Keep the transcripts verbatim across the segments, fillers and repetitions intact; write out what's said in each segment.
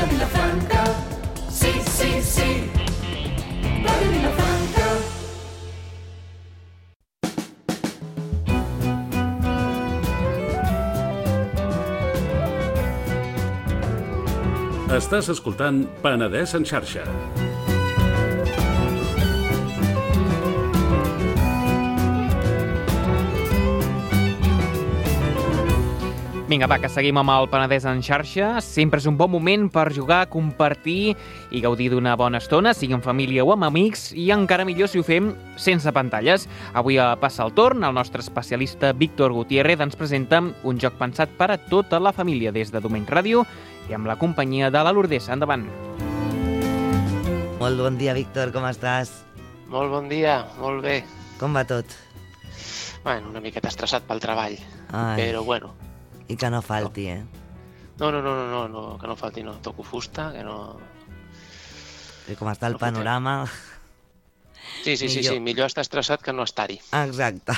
de Vilafranca. Sí, sí, sí, va de Vilafranca. Estàs escoltant Penedès en xarxa. Vinga, va, que seguim amb el Penedès en xarxa. Sempre és un bon moment per jugar, compartir i gaudir d'una bona estona, sigui en família o amb amics, i encara millor si ho fem sense pantalles. Avui passa el torn, el nostre especialista Víctor Gutiérrez ens presenta un joc pensat per a tota la família des de Domeny Ràdio i amb la companyia de la Lourdes. Endavant. Molt bon dia, Víctor, com estàs? Molt bon dia, molt bé. Com va tot? Bueno, una miqueta estressat pel treball, Ai. però bueno. I que no falti, eh? No, no, no, no, no, no, que no falti, no. Toco fusta, que no... I com està el No panorama... Sí, sí, sí, Millor. sí, millor estar estressat que no estar-hi. Exacte.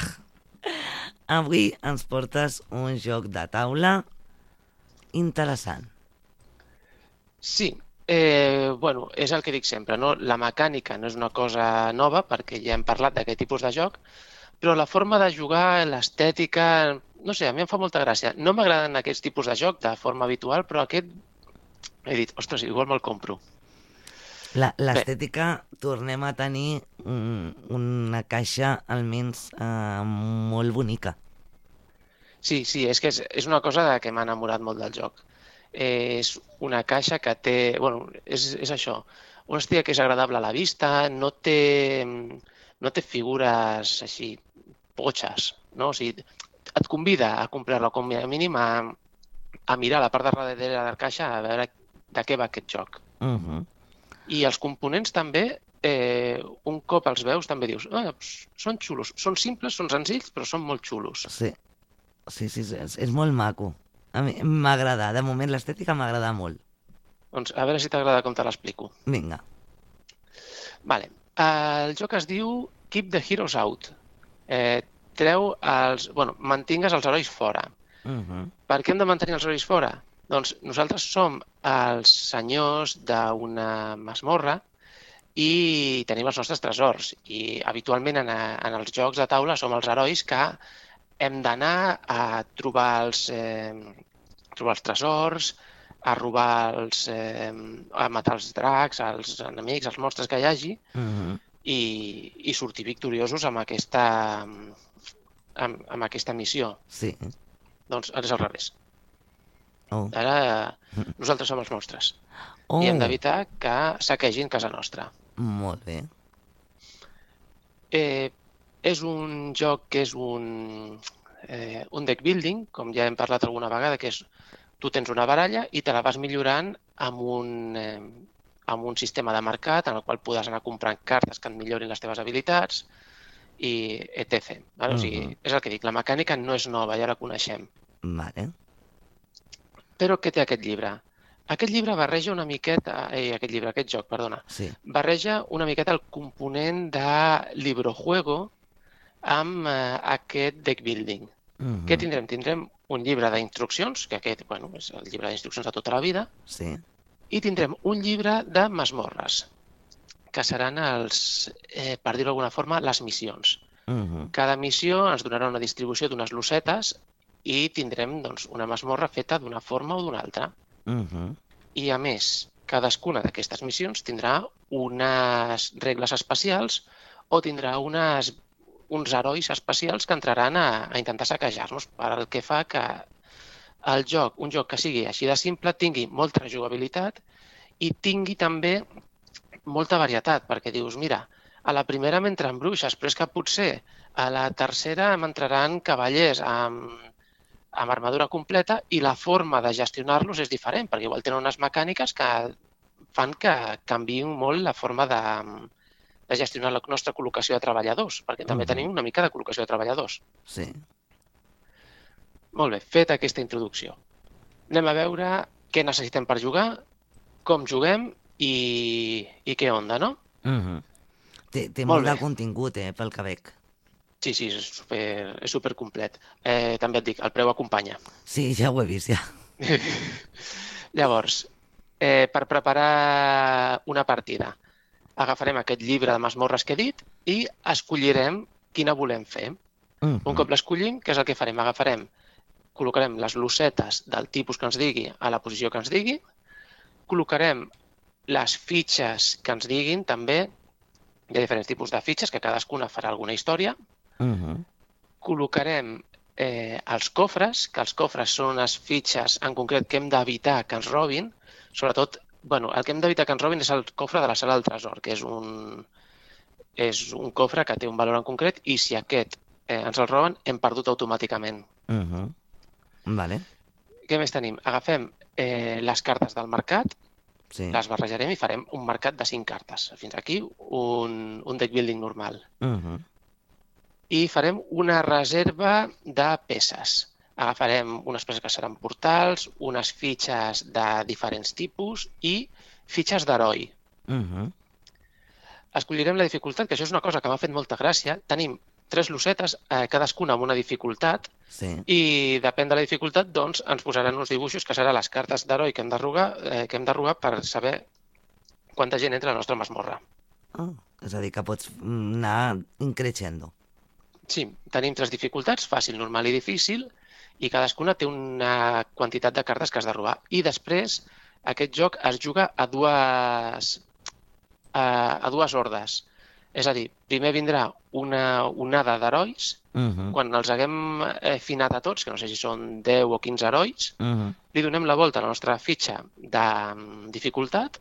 Avui ens portes un joc de taula interessant. Sí, eh, bueno, és el que dic sempre, no? La mecànica no és una cosa nova, perquè ja hem parlat d'aquest tipus de joc, però la forma de jugar, l'estètica, no sé, a mi em fa molta gràcia. No m'agraden aquests tipus de joc de forma habitual, però aquest he dit, ostres, igual me'l compro. La- L'estètica, tornem a tenir un, una caixa almenys eh, molt bonica. Sí, sí, és que és, és una cosa de que m'ha enamorat molt del joc. Eh, és una caixa que té... Bueno, és, és això. Una hòstia que és agradable a la vista, no té, no té figures així potxes, no? O sigui, et convida a comprar-la com a mínim a, a mirar la part de darrere de la caixa a veure de què va aquest joc. Uh -huh. I els components també, eh, un cop els veus, també dius, ah, doncs, són xulos, són simples, són senzills, però són molt xulos. Sí, sí, sí, sí, és, és molt maco. A mi m'agrada, de moment l'estètica m'agrada molt. Doncs a veure si t'agrada com te l'explico. Vinga. Vale. El joc es diu Keep the Heroes Out. Eh, treu els... Bueno, mantingues els herois fora. Uh -huh. Per què hem de mantenir els herois fora? Doncs nosaltres som els senyors d'una masmorra i tenim els nostres tresors. I habitualment en, en els jocs de taula som els herois que hem d'anar a trobar els, eh, trobar els tresors, a robar els... Eh, a matar els dracs, els enemics, els monstres que hi hagi, Uh -huh. i, i sortir victoriosos amb aquesta, amb, amb aquesta missió. Sí. Doncs ara és al revés. Oh. Ara nosaltres som els monstres. Oh. I hem d'evitar que saquegin casa nostra. Molt bé. Eh, és un joc que és un, eh, un deck building, com ja hem parlat alguna vegada, que és tu tens una baralla i te la vas millorant amb un, eh, amb un sistema de mercat en el qual podràs anar comprant cartes que et millorin les teves habilitats i et cetera. Vale? O sigui, Mhm. és el que dic, la mecànica no és nova, ja la coneixem. Vale. Però què té aquest llibre? Aquest llibre barreja una miqueta, eh, aquest llibre, aquest joc, perdona, Sí. barreja una miqueta el component de librojuego amb eh, aquest deck building. Uh -huh. Què tindrem? Tindrem un llibre d'instruccions, que aquest, bueno, és el llibre d'instruccions de tota la vida, Sí. i tindrem un llibre de masmorres, que seran els, eh, per dir-ho d'alguna forma, les missions. Uh -huh. Cada missió ens donarà una distribució d'unes losetes i tindrem doncs, una masmorra feta d'una forma o d'una altra. Uh -huh. I a més, cadascuna d'aquestes missions tindrà unes regles especials o tindrà unes, uns herois especials que entraran a, a intentar saquejar-nos, per el que fa que el joc, un joc que sigui així de simple, tingui molta rejugabilitat i tingui també molta varietat, perquè dius, mira, a la primera m'entren bruixes, però és que potser a la tercera m'entraran cavallers amb, amb armadura completa i la forma de gestionar-los és diferent, perquè igual tenen unes mecàniques que fan que canviïn molt la forma de, de gestionar la nostra col·locació de treballadors, perquè també Mhm. tenim una mica de col·locació de treballadors. Sí. Molt bé, feta aquesta introducció. Anem a veure què necessitem per jugar, com juguem i, i què onda, no? Uh -huh. Té, té Molt molt de bé. contingut, eh, pel que veig. Sí, sí, és super, és super complet. Eh, també et dic, el preu acompanya. Sí, ja ho he vist, ja. Llavors, eh, per preparar una partida. Agafarem aquest llibre de masmorres que he dit i escollirem quina volem fer. Mhm. Un cop l'escollim, què és el que farem? Agafarem, col·locarem les losetes del tipus que ens digui a la posició que ens digui, col·locarem les fitxes que ens diguin també. Hi ha diferents tipus de fitxes que cadascuna farà alguna història. Mhm. Col·locarem eh, els cofres, que els cofres són unes fitxes en concret que hem d'evitar que ens robin. Sobretot, bueno, el que hem d'evitar que ens robin és el cofre de la sala del tresor, que és un, és un cofre que té un valor en concret i si aquest eh, ens el roben hem perdut automàticament. Mhm. Vale. Què més tenim? Agafem eh, les cartes del mercat, Sí. les barrejarem i farem un mercat de cinc cartes. Fins aquí un, un deck building normal. Mhm. I farem una reserva de peces. Agafarem unes peces que seran portals, unes fitxes de diferents tipus i fitxes d'heroi. Mhm. Escollirem la dificultat, que això és una cosa que m'ha fet molta gràcia. Tenim tres losetes, eh, cadascuna amb una dificultat, Sí. i depèn de la dificultat, doncs, ens posaran uns dibuixos que seran les cartes d'heroi que hem de robar, eh, que hem de robar per saber quanta gent entra a la nostra masmorra. Ah, és a dir, que pots anar increixendo. Sí, tenim tres dificultats, fàcil, normal i difícil, i cadascuna té una quantitat de cartes que has de robar. I després, aquest joc es juga a dues, a, a dues hordes. És a dir, primer vindrà una onada d'herois, Mhm. quan els haguem eh, finat a tots, que no sé si són deu o quinze herois, Mhm. li donem la volta a la nostra fitxa de mm, dificultat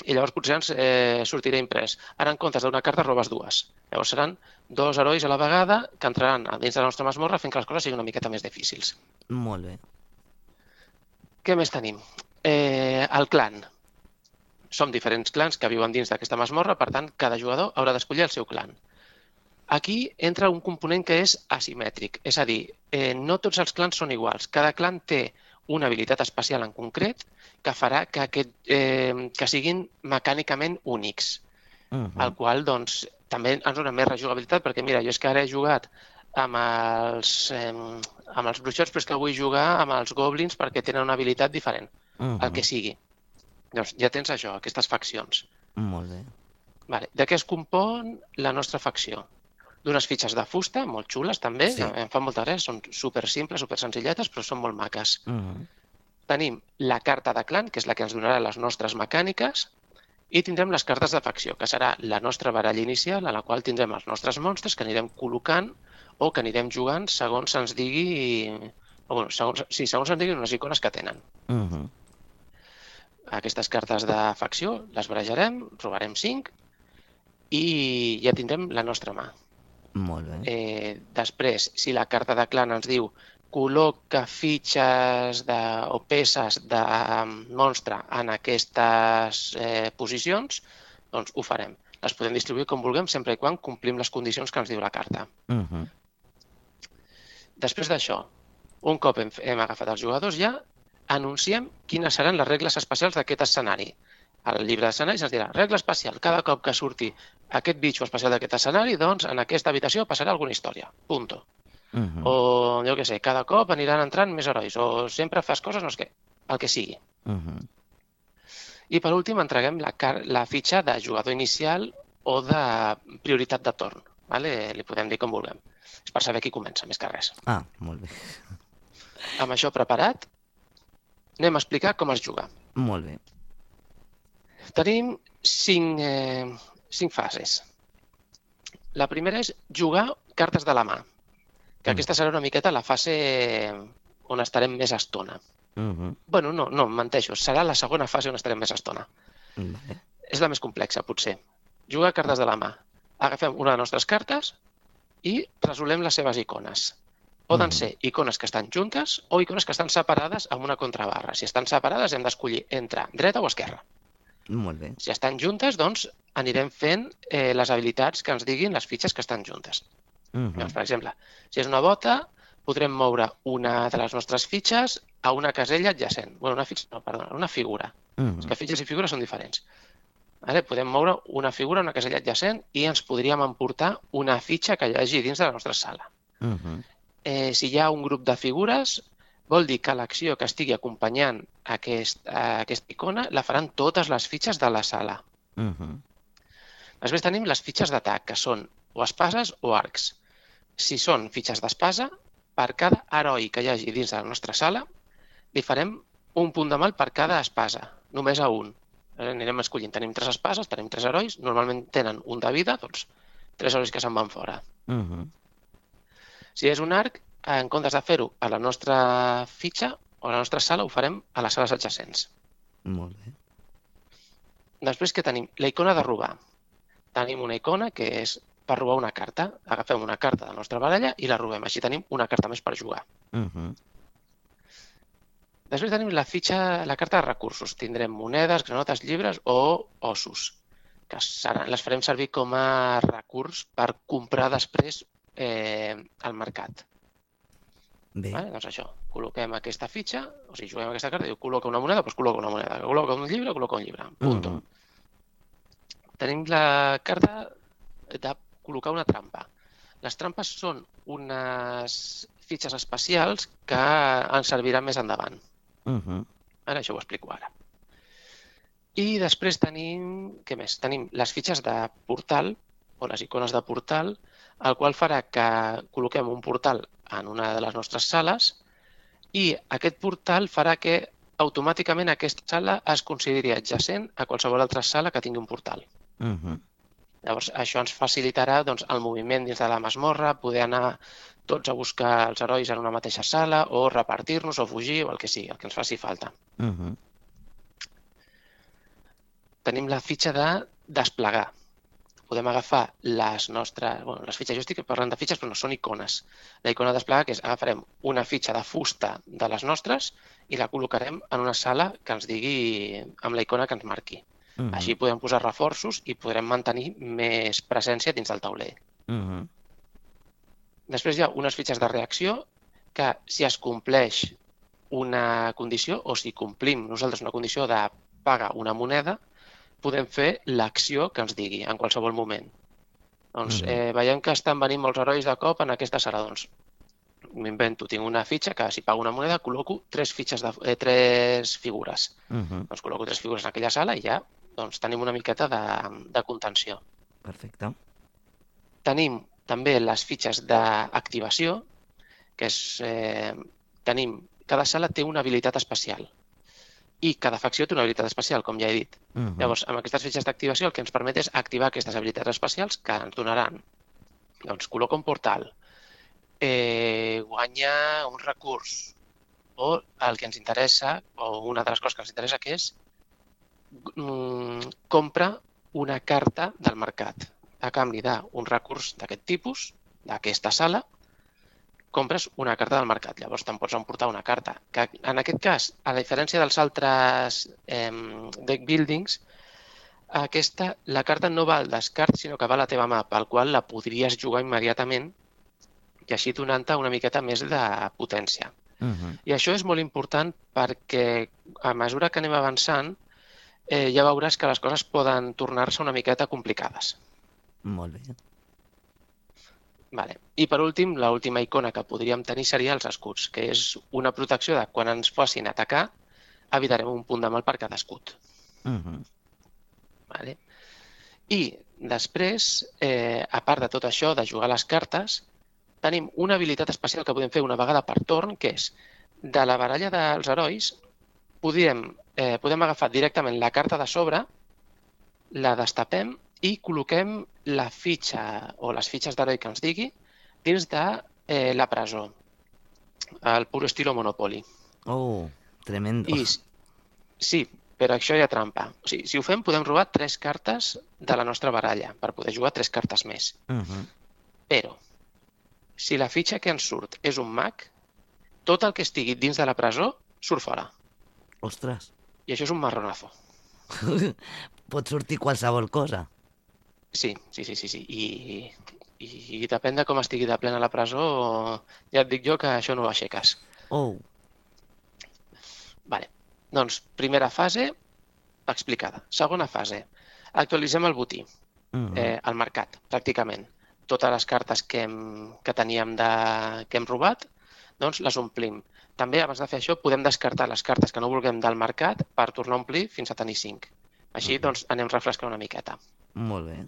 i llavors potser ens eh, sortirà imprès. Ara, en comptes d'una carta, robes dues. Llavors seran dos herois a la vegada que entraran a dins de la nostra masmorra fent que les coses siguin una miqueta més difícils. Molt bé. Què més tenim? Eh, el clan. Som diferents clans que viuen dins d'aquesta masmorra, per tant, cada jugador haurà d'escollir el seu clan. Aquí entra un component que és asimètric, és a dir, eh, no tots els clans són iguals. Cada clan té una habilitat especial en concret que farà que, aquest, eh, que siguin mecànicament únics, Mhm. el qual doncs, també ens dona més rejugabilitat, perquè mira, jo és que ara he jugat amb els, eh, amb els bruixots, però és que vull jugar amb els goblins perquè tenen una habilitat diferent, Mhm. el que sigui. Llavors ja tens això, aquestes faccions. Molt bé. Vale. De què es compon la nostra facció? D'unes fitxes de fusta, molt xules també, Sí. em fan molta gràcia, són super simples, super senzilletes, però són molt maques. Mhm. Tenim la carta de clan, que és la que ens donarà les nostres mecàniques, i tindrem les cartes de facció, que serà la nostra baralla inicial, a la qual tindrem els nostres monstres que anirem col·locant o que anirem jugant segons se'ns digui... O, bueno, segons, sí, segons se'ns diguin unes icones que tenen. Mhm. Aquestes cartes de facció les barejarem, robarem cinc i ja tindrem la nostra mà. Molt bé. Eh, després, si la carta de clan ens diu col·loca fitxes de, o peces de monstre en aquestes eh, posicions, doncs ho farem. Les podem distribuir com vulguem sempre i quan complim les condicions que ens diu la carta. Mhm. Després d'això, un cop hem, hem agafat els jugadors ja, anunciem quines seran les regles especials d'aquest escenari. Al llibre d'escenaris ens dirà regla especial. Cada cop que surti aquest bitxo especial d'aquest escenari, doncs en aquesta habitació passarà alguna història. Punto. Mhm. O, jo què sé, cada cop aniran entrant més herois, o sempre fas coses, no sé què, el que sigui. Mhm. I per últim entreguem la, car la fitxa de jugador inicial o de prioritat de torn. Vale? Li podem dir com vulguem. És per saber qui comença, més que res. Ah, molt bé. Amb això preparat, anem a explicar com es juga. Molt bé. Tenim cinc, eh, cinc fases. La primera és jugar cartes de la mà, que Mm. aquesta serà una miqueta la fase on estarem més estona. Mhm. Bueno, no, no, menteixo. Serà la segona fase on estarem més estona. Vale. És la més complexa, potser. Jugar cartes de la mà. Agafem una de les nostres cartes i resolem les seves icones. Poden Mhm. ser icones que estan juntes o icones que estan separades amb una contrabarra. Si estan separades hem d'escollir entre dreta o esquerra. Molt bé. Si estan juntes, doncs anirem fent eh, les habilitats que ens diguin les fitxes que estan juntes. Mhm. Doncs, per exemple, si és una bota, podrem moure una de les nostres fitxes a una casella adjacent. Bueno, una fitxa, no, perdona, una figura. Mhm. És que fitxes i figures són diferents. Vale? Podem moure una figura a una casella adjacent i ens podríem emportar una fitxa que hi hagi dins de la nostra sala. Mhm. Eh, si hi ha un grup de figures, vol dir que l'acció que estigui acompanyant aquest, aquesta icona la faran totes les fitxes de la sala. Uh -huh. Després tenim les fitxes d'atac, que són o espases o arcs. Si són fitxes d'espasa, per cada heroi que hi hagi dins de la nostra sala, li farem un punt de mal per cada espasa, només a un. Anirem escollint. Tenim tres espases, tenim tres herois, normalment tenen un de vida, doncs tres herois que se'n van fora. Uh -huh. Si és un arc, en comptes de fer-ho a la nostra fitxa o a la nostra sala, ho farem a les sales adjacents. Molt bé. Després que tenim? La icona de robar. Tenim una icona que és per robar una carta. Agafem una carta de la nostra baralla i la robem. Així tenim una carta més per jugar. Uh -huh. Després tenim la fitxa, la carta de recursos. Tindrem monedes, granotes, llibres o ossos, que seran, les farem servir com a recurs per comprar després eh, al mercat. Bé. Vale? Doncs això, col·loquem aquesta fitxa, o sigui, juguem aquesta carta, diu col·loca una moneda, doncs col·loca una moneda. Col·loca un llibre, col·loca un llibre. Punto. Uh -huh. Tenim la carta de col·locar una trampa. Les trampes són unes fitxes especials que ens serviran més endavant. Uh -huh. Ara això ho explico ara. I després tenim, què més? Tenim les fitxes de portal, o les icones de portal, el qual farà que col·loquem un portal en una de les nostres sales i aquest portal farà que automàticament aquesta sala es consideri adjacent a qualsevol altra sala que tingui un portal. Uh -huh. Llavors, això ens facilitarà doncs, el moviment dins de la masmorra, poder anar tots a buscar els herois en una mateixa sala o repartir-nos o fugir o el que sigui, el que ens faci falta. Uh -huh. Tenim la fitxa de desplegar. Podem agafar les nostres... Bueno, les fitxes, jo estic parlant de fitxes, però no són icones. La icona de desplegar, que és agafarem una fitxa de fusta de les nostres i la col·locarem en una sala que ens digui amb la icona que ens marqui. Uh -huh. Així podem posar reforços i podrem mantenir més presència dins del tauler. Uh -huh. Després hi ha unes fitxes de reacció que si es compleix una condició o si complim nosaltres una condició de pagar una moneda, podem fer l'acció que ens digui en qualsevol moment. Doncs eh, veiem que estan venint molts herois de cop en aquesta sala. Doncs m'invento, tinc una fitxa que si pago una moneda col·loco tres fitxes de, eh, tres figures. Uh -huh. Doncs col·loco tres figures en aquella sala i ja doncs, tenim una miqueta de, de contenció. Perfecte. Tenim també les fitxes d'activació, que és, eh, tenim, cada sala té una habilitat especial i cada facció té una habilitat especial, com ja he dit. Uh -huh. Llavors, amb aquestes fitxes d'activació el que ens permet és activar aquestes habilitats especials que ens donaran, doncs, col·loca un portal, eh, guanya un recurs, o el que ens interessa, o una de les coses que ens interessa, que és mm, compra una carta del mercat. A canvi d'un recurs d'aquest tipus, d'aquesta sala, compres una carta del mercat. Llavors te'n pots emportar una carta. Que en aquest cas, a la diferència dels altres eh, deck buildings, aquesta, la carta no va al descart, sinó que va a la teva mà, pel qual la podries jugar immediatament i així donant-te una miqueta més de potència. Uh -huh. I això és molt important perquè a mesura que anem avançant eh, ja veuràs que les coses poden tornar-se una miqueta complicades. Molt bé. Vale. I per últim, l'última icona que podríem tenir seria els escuts, que és una protecció de quan ens facin atacar, evitarem un punt de mal per cada escut. Uh -huh. Vale. I després, eh, a part de tot això, de jugar les cartes, tenim una habilitat especial que podem fer una vegada per torn, que és, de la baralla dels herois, podem, eh, podem agafar directament la carta de sobre, la destapem i col·loquem la fitxa o les fitxes d'heroi que ens digui dins de eh, la presó, al puro estilo Monopoly. Oh, tremendo. I, sí, però això hi ha trampa. O sigui, si ho fem, podem robar tres cartes de la nostra baralla per poder jugar tres cartes més. Uh -huh. Però, si la fitxa que ens surt és un mag, tot el que estigui dins de la presó surt fora. Ostres. I això és un marronazo. Pot sortir qualsevol cosa. Sí, sí, sí, sí. sí. I, i, I depèn de com estigui de plena la presó, ja et dic jo que això no ho aixeques. Oh. Vale. Doncs, primera fase explicada. Segona fase. Actualitzem el botí, Uh -huh. eh, al mercat, pràcticament. Totes les cartes que, hem, que teníem de, que hem robat, doncs les omplim. també, abans de fer això, podem descartar les cartes que no vulguem del mercat per tornar a omplir fins a tenir cinc. Així, doncs, anem refrescant una miqueta. Molt bé.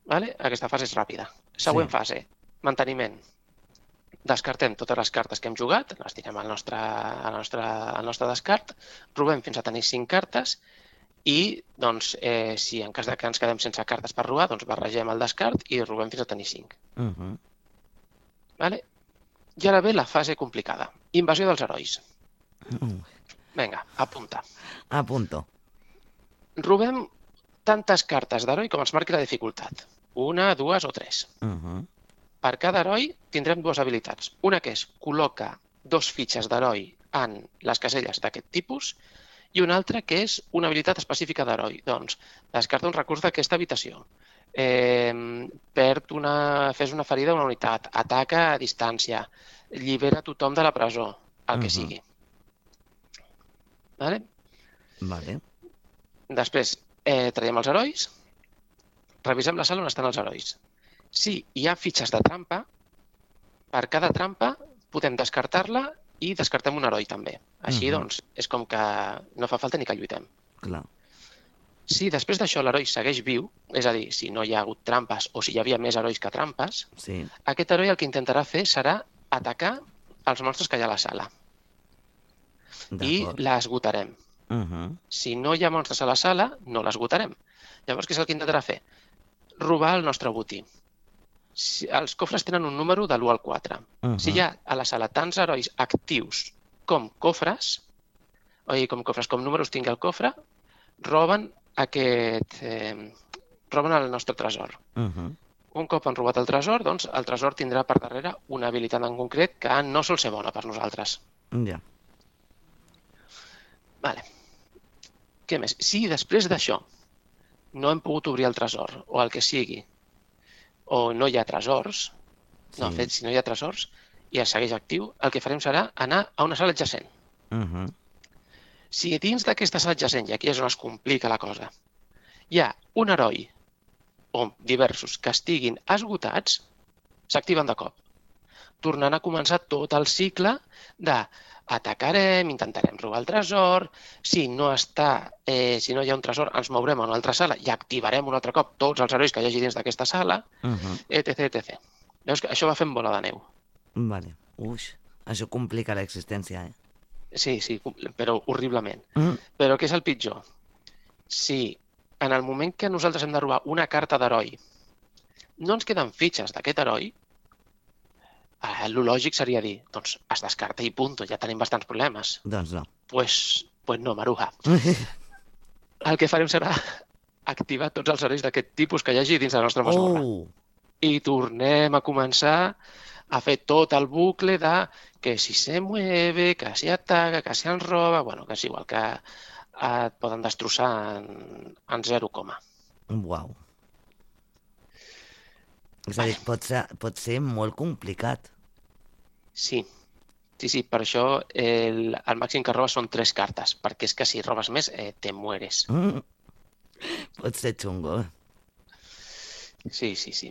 Vale? Aquesta fase és ràpida. Següent Sí. fase, manteniment. Descartem totes les cartes que hem jugat, les tirem al nostre, al nostre, al nostre descart, robem fins a tenir cinc cartes i, doncs, eh, si en cas de que ens quedem sense cartes per robar, doncs barregem el descart i robem fins a tenir cinc. Uh -huh. Vale? I ara ve la fase complicada. Invasió dels herois. Uh, Vinga, apunta. a punto. Robem tantes cartes d'heroi com ens marqui la dificultat. Una, dues o tres. Uh -huh. Per cada heroi tindrem dues habilitats. Una que és col·loca dos fitxes d'heroi en les caselles d'aquest tipus i una altra que és una habilitat específica d'heroi. Doncs descarta un recurs d'aquesta habitació. Eh, perd una, fes una ferida a una unitat, ataca a distància, llibera tothom de la presó, el que Mhm. sigui. Vale? Vale. Després, eh, traiem els herois, revisem la sala on estan els herois. Si hi ha fitxes de trampa, per cada trampa podem descartar-la i descartem un heroi també. Així, Mhm. doncs, és com que no fa falta ni que lluitem. Clar. Si després d'això l'heroi segueix viu, és a dir, si no hi ha hagut trampes o si hi havia més herois que trampes, Sí. aquest heroi el que intentarà fer serà atacar els monstres que hi ha a la sala i D'acord. l'esgotarem. Uh -huh. Si no hi ha monstres a la sala, no l'esgotarem. Llavors, què és el que intentarà fer? Robar el nostre botí. Si, els cofres tenen un número de l'u al quatre. Uh -huh. Si hi ha a la sala tants herois actius com cofres, oi, com cofres, com números tingui el cofre, roben aquest... Eh, roben el nostre tresor. Uh -huh. Un cop han robat el tresor, doncs el tresor tindrà per darrere una habilitat en concret que no sol ser bona per nosaltres. Ja. Vale. Què més? Si després d'això no hem pogut obrir el tresor, o el que sigui, o no hi ha tresors, Sí. no, en fet, si no hi ha tresors i es segueix actiu, el que farem serà anar a una sala adjacent. Uh -huh. Si dins d'aquesta sala adjacent, i aquí és on es complica la cosa, hi ha un heroi o diversos que estiguin esgotats, s'activen de cop. Tornant a començar tot el cicle de atacarem, intentarem robar el tresor, si no està, eh, si no hi ha un tresor, ens mourem a una altra sala i activarem un altre cop tots els herois que hi hagi dins d'aquesta sala, Uh -huh. etc, etcètera. Veus que això va fent bola de neu. Vale. Uix, això complica l'existència, eh? Sí, sí, però horriblement. Mm. Però què és el pitjor? Si en el moment que nosaltres hem de robar una carta d'heroi no ens queden fitxes d'aquest heroi, eh, el lògic seria dir, doncs es descarta i punto, ja tenim bastants problemes. Doncs no. Pues, pues no, Maruja. El que farem serà activar tots els herois d'aquest tipus que hi hagi dins la nostra mazmorra. Oh! I tornem a començar a fer tot el bucle de que si se mueve, que si ataca, que si ens roba... Bueno, que és igual, que et poden destrossar en, en zero coma. Uau. És a dir, pot ser, pot ser molt complicat. Sí, sí, sí, per això el, el màxim que robes són tres cartes, perquè és que si robes més eh, te mueres. Mm. Pot ser xungo. Sí, sí, sí.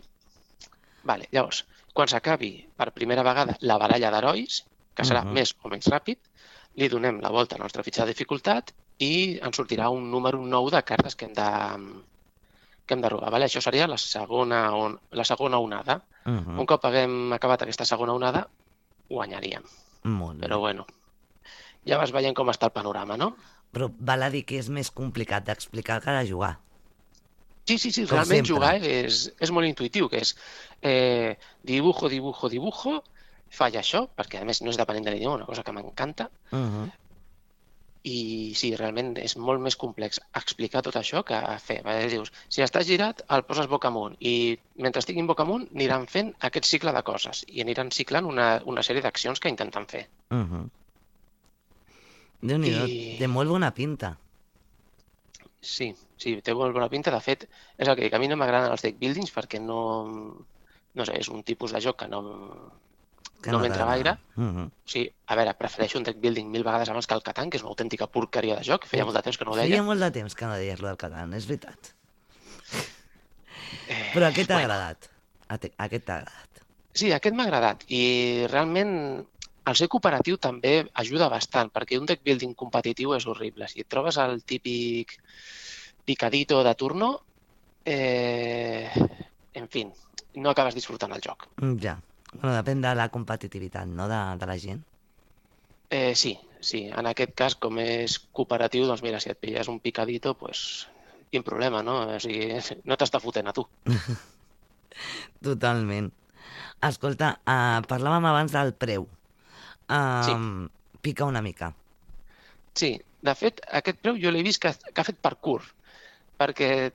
Vale, llavors, quan s'acabi per primera vegada la baralla d'herois, que serà Mhm. més o menys ràpid, li donem la volta a la nostra fitxa de dificultat i ens sortirà un número nou de cartes que hem de, que hem de robar. Vale? Això seria la segona, on, la segona onada. Uh -huh. Un cop haguem acabat aquesta segona onada, guanyaríem. Molt bé. Però bueno, ja vas veient com està el panorama, no? Però val a dir que és més complicat d'explicar que de jugar. Sí, sí, sí, Com realment sempre. jugar és, és molt intuïtiu, que és eh, dibujo, dibujo, dibujo, falla això, perquè a més no és depenent de l'idioma, una cosa que m'encanta, Uh -huh. i sí, realment és molt més complex explicar tot això que fer. Vale? Dius, si estàs girat, el poses boca amunt, i mentre estiguin boca amunt aniran fent aquest cicle de coses, i aniran ciclant una, una sèrie d'accions que intenten fer. Uh -huh. Déu-n'hi-do, I- té molt bona pinta. Sí, sí, té molt bona pinta. De fet, és el que dic, a mi no m'agraden els deck buildings perquè no... No sé, és un tipus de joc que no... Que No m'entra t'agrada. gaire. Uh -huh. O sigui, a veure, prefereixo un deck building mil vegades abans que el Catan, que és una autèntica porqueria de joc. Feia molt de temps que no ho Feia deia. molt de temps que no deies lo del Catan, és veritat. Eh, Però aquest t'ha bueno, agradat. A te- Aquest t'ha agradat. Sí, aquest m'ha agradat. I realment el ser cooperatiu també ajuda bastant, perquè un deck building competitiu és horrible. Si et trobes el típic picadito de turno, eh, en fi, no acabes disfrutant el joc. Ja. Bueno, depèn de la competitivitat, no?, de, de la gent. Eh, sí, sí. En aquest cas, com és cooperatiu, doncs mira, si et pilles un picadito, pues, quin problema, no? O sigui, no t'està fotent a tu. Totalment. Escolta, uh, parlàvem abans del preu. Uh, Sí. Pica una mica. Sí, de fet, aquest preu jo l'he vist que, que ha fet parkour, perquè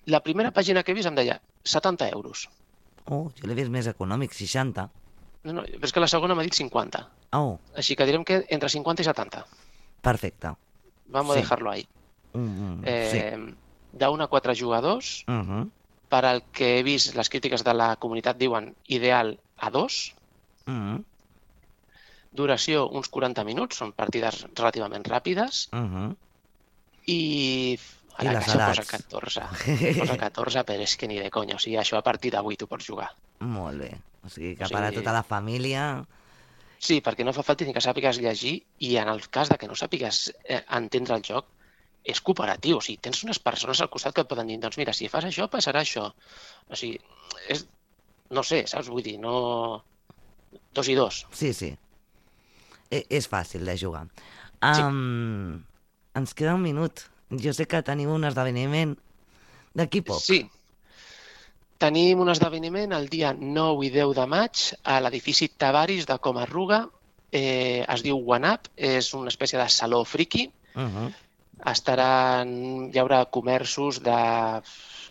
la primera pàgina que he vist em deia setanta euros. Oh, jo l'he vist més econòmic, seixanta. No, no, però és que la segona m'ha dit cinquanta. Oh, Així que direm que entre cinquanta i setanta. perfecte. Vamos Sí. a dejarlo ahí. Mm, Eh, sí. d'un a quatre jugadors, Uh -huh. per al que he vist les crítiques de la comunitat diuen ideal a dos, Uh -huh. duració uns quaranta minuts, són partides relativament ràpides, Uh -huh. i a I la les caixa posa edats. catorze. Posa catorze, però és que ni de conya. O sigui, això a partir d'avui tu pots jugar. Molt bé. O sigui, que O sigui- per a tota la família... Sí, perquè no fa falta ni que sàpigues llegir, i en el cas de que no sàpigues eh, entendre el joc, és cooperatiu. O sigui, tens unes persones al costat que et poden dir, doncs mira, si fas això, passarà això. O sigui, és... no sé, saps? Vull dir, no... Dos i dos. Sí, sí. E és fàcil de jugar. Sí. Um, ens queda un minut. Jo sé que teniu un esdeveniment d'aquí poc. Sí. Tenim un esdeveniment el dia nou i deu de maig a l'edifici Tavaris de Comarruga. Eh, es diu One Up, és una espècie de saló friki. Uh -huh. Estaran, hi haurà comerços de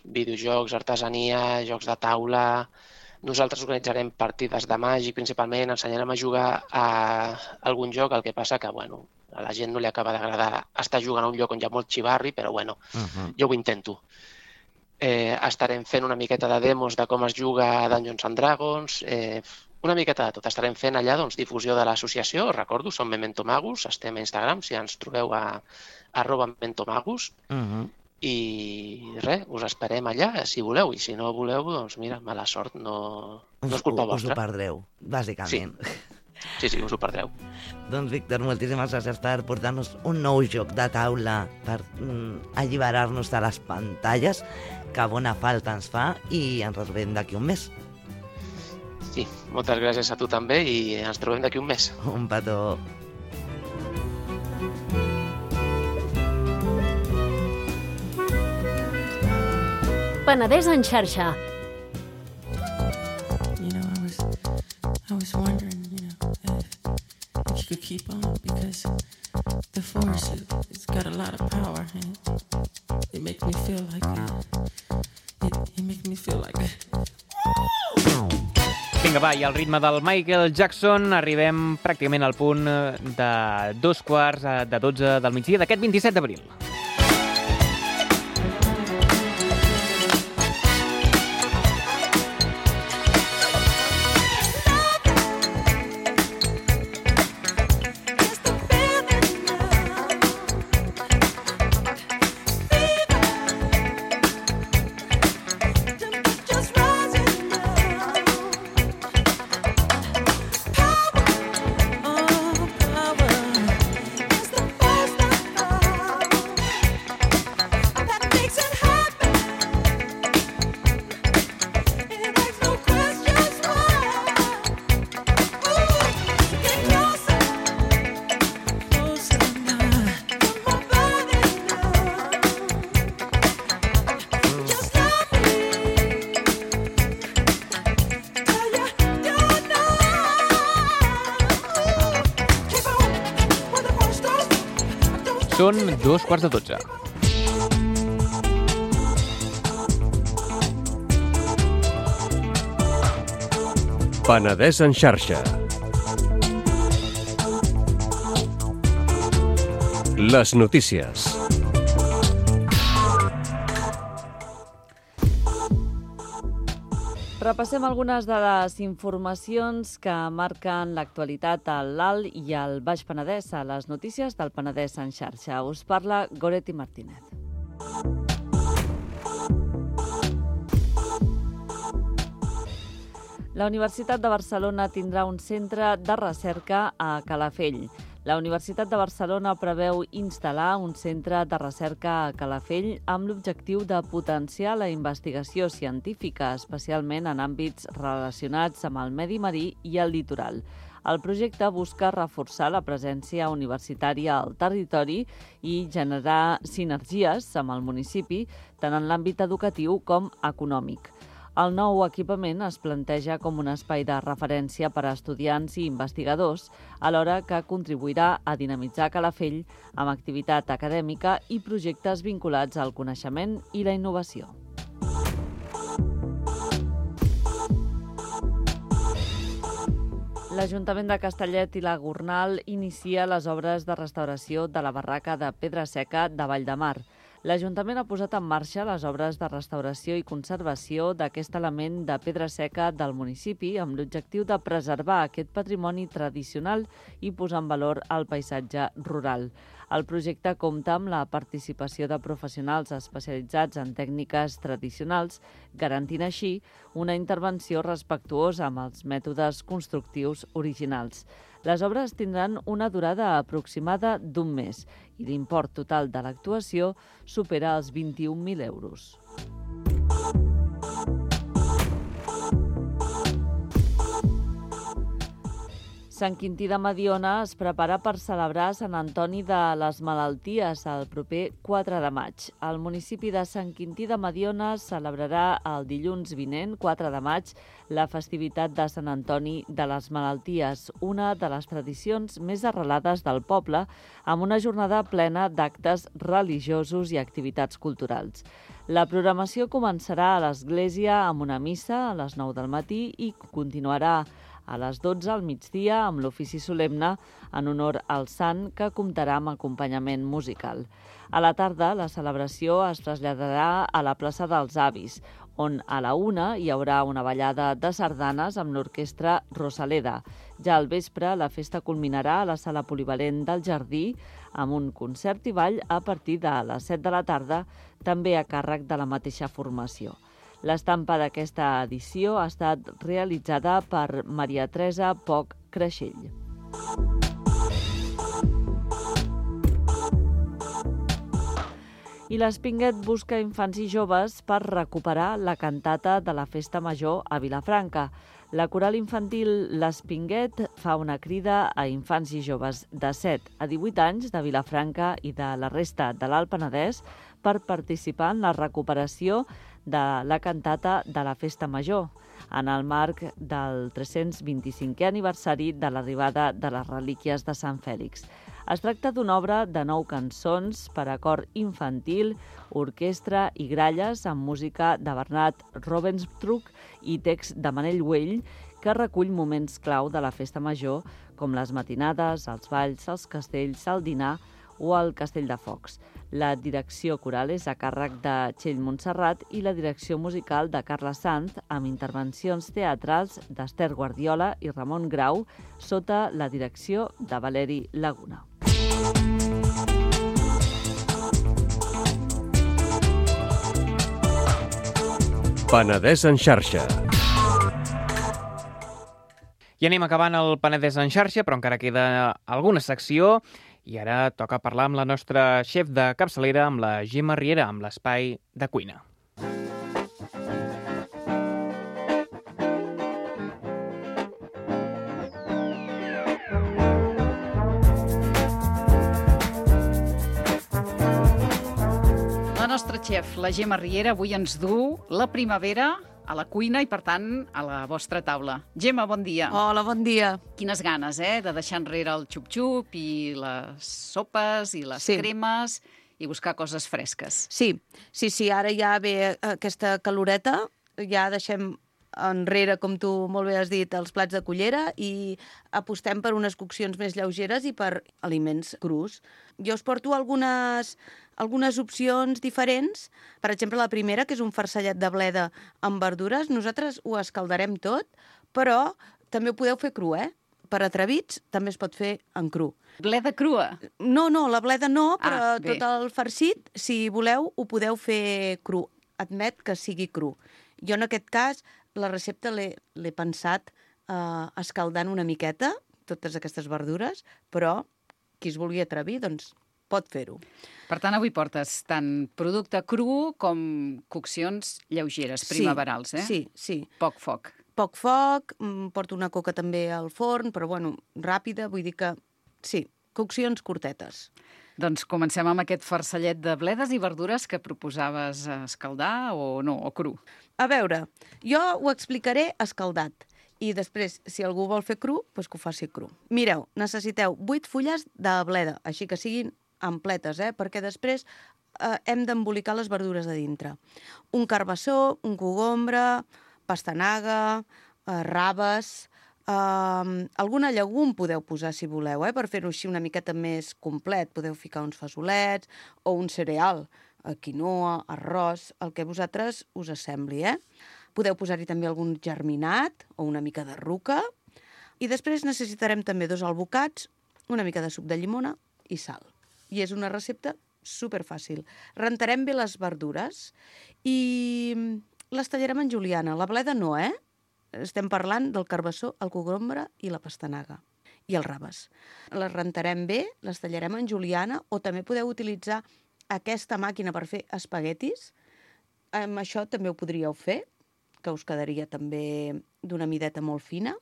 videojocs, artesania, jocs de taula. Nosaltres organitzarem partides de màgic, principalment, ensenyarem a jugar a algun joc, el que passa que, bueno, a la gent no li acaba d'agradar estar jugant a un lloc on hi ha molt xivarri, però, bueno, Uh -huh. jo ho intento. Eh, estarem fent una miqueta de demos de com es juga a Dungeons and Dragons, eh, una miqueta de tot. Estarem fent allà, doncs, difusió de l'associació. Recordo, som Memento Magus, estem a Instagram, si ens trobeu a arroba Memento Magus, Uh -huh. i res, us esperem allà, si voleu, i si no voleu, doncs mira, mala sort, no, no és culpa us, us vostra. ho perdreu, bàsicament. Sí, sí, us ho perdreu. Doncs, Víctor, moltíssimes gràcies per portar-nos un nou joc de taula, per mm, alliberar-nos de les pantalles, que bona falta ens fa, i ens retrobem d'aquí un mes. Sí, moltes gràcies a tu també, i ens trobem d'aquí un mes. Un petó. Penedès en xarxa. You know, I was, I was wondering, you know, if, if you could keep on, because the force, it, it's got a lot of power, and it, it makes me feel like, uh, it, it makes me feel like. Vinga, va, i al ritme del Michael Jackson arribem pràcticament al punt de dos quarts de dotze del migdia d'aquest vint-i-set d'abril. Són dos quarts de dotze. Penedès en xarxa. Les notícies. Repassem algunes de les informacions que marquen l'actualitat a l'Alt i al Baix Penedès a les notícies del Penedès en xarxa. Us parla Goretti Martínez. La Universitat de Barcelona tindrà un centre de recerca a Calafell. La Universitat de Barcelona preveu instal·lar un centre de recerca a Calafell amb l'objectiu de potenciar la investigació científica, especialment en àmbits relacionats amb el medi marí i el litoral. El projecte busca reforçar la presència universitària al territori i generar sinergies amb el municipi, tant en l'àmbit educatiu com econòmic. El nou equipament es planteja com un espai de referència per a estudiants i investigadors, alhora que contribuirà a dinamitzar Calafell amb activitat acadèmica i projectes vinculats al coneixement i la innovació. L'Ajuntament de Castellet i la Gornal inicia les obres de restauració de la barraca de Pedra Seca de Vall de Mar. L'Ajuntament ha posat en marxa les obres de restauració i conservació d'aquest element de pedra seca del municipi amb l'objectiu de preservar aquest patrimoni tradicional i posar en valor el paisatge rural. El projecte compta amb la participació de professionals especialitzats en tècniques tradicionals, garantint així una intervenció respectuosa amb els mètodes constructius originals. Les obres tindran una durada aproximada d'un mes i l'import total de l'actuació supera els vint-i-un mil euros. Sant Quintí de Mediona es prepara per celebrar Sant Antoni de les Malalties el proper quatre de maig. El municipi de Sant Quintí de Mediona celebrarà el dilluns vinent, quatre de maig, la festivitat de Sant Antoni de les Malalties, una de les tradicions més arrelades del poble, amb una jornada plena d'actes religiosos i activitats culturals. La programació començarà a l'església amb una missa a les nou del matí i continuarà a les dotze al migdia amb l'ofici solemne en honor al sant que comptarà amb acompanyament musical. A la tarda, la celebració es traslladarà a la plaça dels Avis, on a la una hi haurà una ballada de sardanes amb l'orquestra Rosaleda. Ja al vespre, la festa culminarà a la sala polivalent del Jardí amb un concert i ball a partir de les set de la tarda, també a càrrec de la mateixa formació. L'estampa d'aquesta edició ha estat realitzada per Maria Teresa Poch Creixell. I l'Espinguet busca infants i joves per recuperar la cantata de la Festa Major a Vilafranca. La coral infantil L'Espinguet fa una crida a infants i joves de set a divuit anys de Vilafranca i de la resta de l'Alt Penedès per participar en la recuperació de la cantata de la Festa Major, en el marc del tres-cents vint-i-cinquè aniversari de l'arribada de les relíquies de Sant Fèlix. Es tracta d'una obra de nou cançons per a cor infantil, orquestra i gralles amb música de Bernat Rovensbruch i text de Manel Güell, que recull moments clau de la Festa Major, com les matinades, els balls, els castells, el dinar o el Castell de Focs. La direcció coral és a càrrec de Txell Montserrat i la direcció musical de Carla Sanz, amb intervencions teatrals d'Ester Guardiola i Ramon Grau, sota la direcció de Valeri Laguna. Penedès en xarxa. I anem acabant el Penedès en xarxa, però encara queda alguna secció. I ara toca parlar amb la nostra xef de capçalera, amb la Gemma Riera, amb l'espai de cuina. La nostra xef, la Gemma Riera, avui ens du la primavera a la cuina i, per tant, a la vostra taula. Gemma, bon dia. Hola, bon dia. Quines ganes, eh?, de deixar enrere el xup-xup i les sopes i les sí. cremes i buscar coses fresques. Sí, sí, sí, ara ja ve aquesta caloreta, ja deixem enrere, com tu molt bé has dit, els plats de cullera i apostem per unes coccions més lleugeres i per aliments crus. Jo us porto algunes... algunes opcions diferents. Per exemple, la primera, que és un farcellet de bleda amb verdures. Nosaltres ho escaldarem tot, però també ho podeu fer cru, eh? Per atrevits, també es pot fer en cru. Bleda crua? No, no, la bleda no, però ah, tot el farcit, si voleu, ho podeu fer cru. Admet que sigui cru. Jo, en aquest cas, la recepta l'he l'he pensat eh, escaldant una miqueta, totes aquestes verdures, però qui es vulgui atrevir, doncs pot fer-ho. Per tant, avui portes tant producte cru com coccions lleugeres, primaverals, eh? Sí, sí. Poc foc. Poc foc, porto una coca també al forn, però bueno, ràpida, vull dir que sí, coccions curtetes. Doncs comencem amb aquest farcellet de bledes i verdures que proposaves escaldar o no, o cru. A veure, jo ho explicaré escaldat i després, si algú vol fer cru, doncs que ho faci cru. Mireu, necessiteu vuit fulles de bleda, així que siguin ampletes, eh? Perquè després eh, hem d'embolicar les verdures de dintre. Un carbassó, un cogombre, pastanaga, eh, raves, Uh, alguna llegum podeu posar si voleu, eh? Per fer-ho així una miqueta més complet. Podeu ficar uns fesolets o un cereal, uh, quinoa, arròs, el que vosaltres us assembli, eh? Podeu posar-hi també algun germinat o una mica de ruca. I després necessitarem també dos albocats, una mica de suc de llimona i sal. I és una recepta superfàcil. Rentarem bé les verdures i les tallarem en juliana. La bleda no, eh? Estem parlant del carbassó, el cogombre i la pastanaga i els raves. Les rentarem bé, les tallarem en juliana o també podeu utilitzar aquesta màquina per fer espaguetis. Amb això també ho podríeu fer, que us quedaria també d'una mideta molt fina.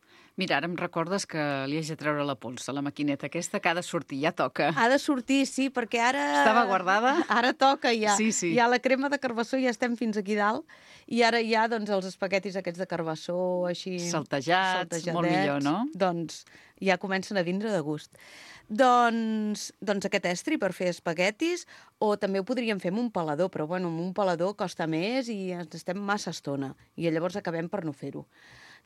Mira, ara em recordes que li haig de treure la pols a la maquineta aquesta, que ha de sortir, ja toca. Ha de sortir, sí, perquè ara... Estava guardada? Ara toca ja. Sí, sí. Ja la crema de carbassó ja estem fins aquí dalt i ara hi ha doncs, els espaguetis aquests de carbassó així... Saltejats, molt millor, no? Doncs ja comencen a vindre de gust. Doncs, doncs aquest estri per fer espaguetis, o també ho podríem fer amb un pelador, però bueno, amb un pelador costa més i ens estem massa estona, i llavors acabem per no fer-ho.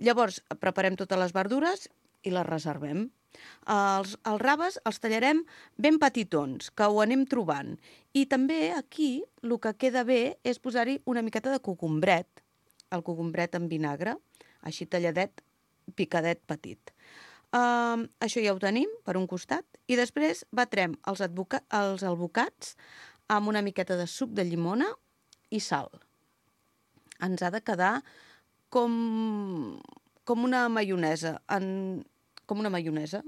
Llavors, preparem totes les verdures i les reservem. Els, els raves els tallarem ben petitons, que ho anem trobant. I també aquí el que queda bé és posar-hi una miqueta de cogombret, el cogombret en vinagre, així talladet, picadet petit. Uh, això ja ho tenim per un costat i després batrem els, advoca els albocats amb una miqueta de suc de llimona i sal. Ens ha de quedar com, com una maionesa, en, com una maionesa.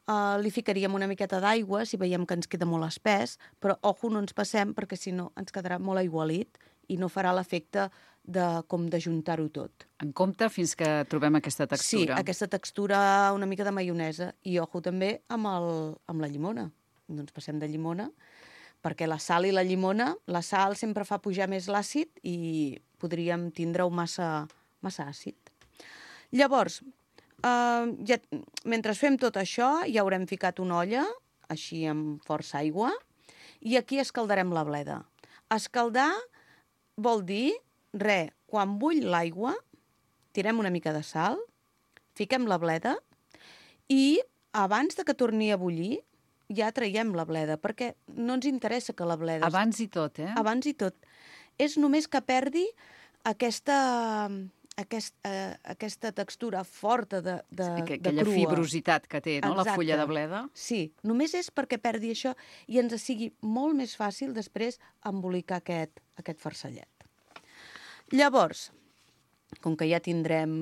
Uh, li ficaríem una miqueta d'aigua si veiem que ens queda molt espès, però ojo, no ens passem perquè si no ens quedarà molt aigualit i no farà l'efecte de, com d'ajuntar-ho tot. En compte fins que trobem aquesta textura. Sí, aquesta textura una mica de maionesa. I ojo també amb, el, amb la llimona. No ens passem de llimona, perquè la sal i la llimona, la sal sempre fa pujar més l'àcid i podríem tindre-ho massa, massa àcid. Llavors, eh, ja, mentre fem tot això, ja haurem ficat una olla, així amb força aigua, i aquí escaldarem la bleda. Escaldar vol dir, re, quan bull l'aigua, tirem una mica de sal, fiquem la bleda i abans de que torni a bullir ja traiem la bleda, perquè no ens interessa que la bleda... Abans i tot, eh? Abans i tot. És només que perdi aquesta, aquest, eh, aquesta textura forta de, de, sí, que, de crua. Aquella fibrositat que té, no?, exacte, la fulla de bleda. Sí, només és perquè perdi això i ens sigui molt més fàcil després embolicar aquest, aquest farcellet. Llavors, com que ja tindrem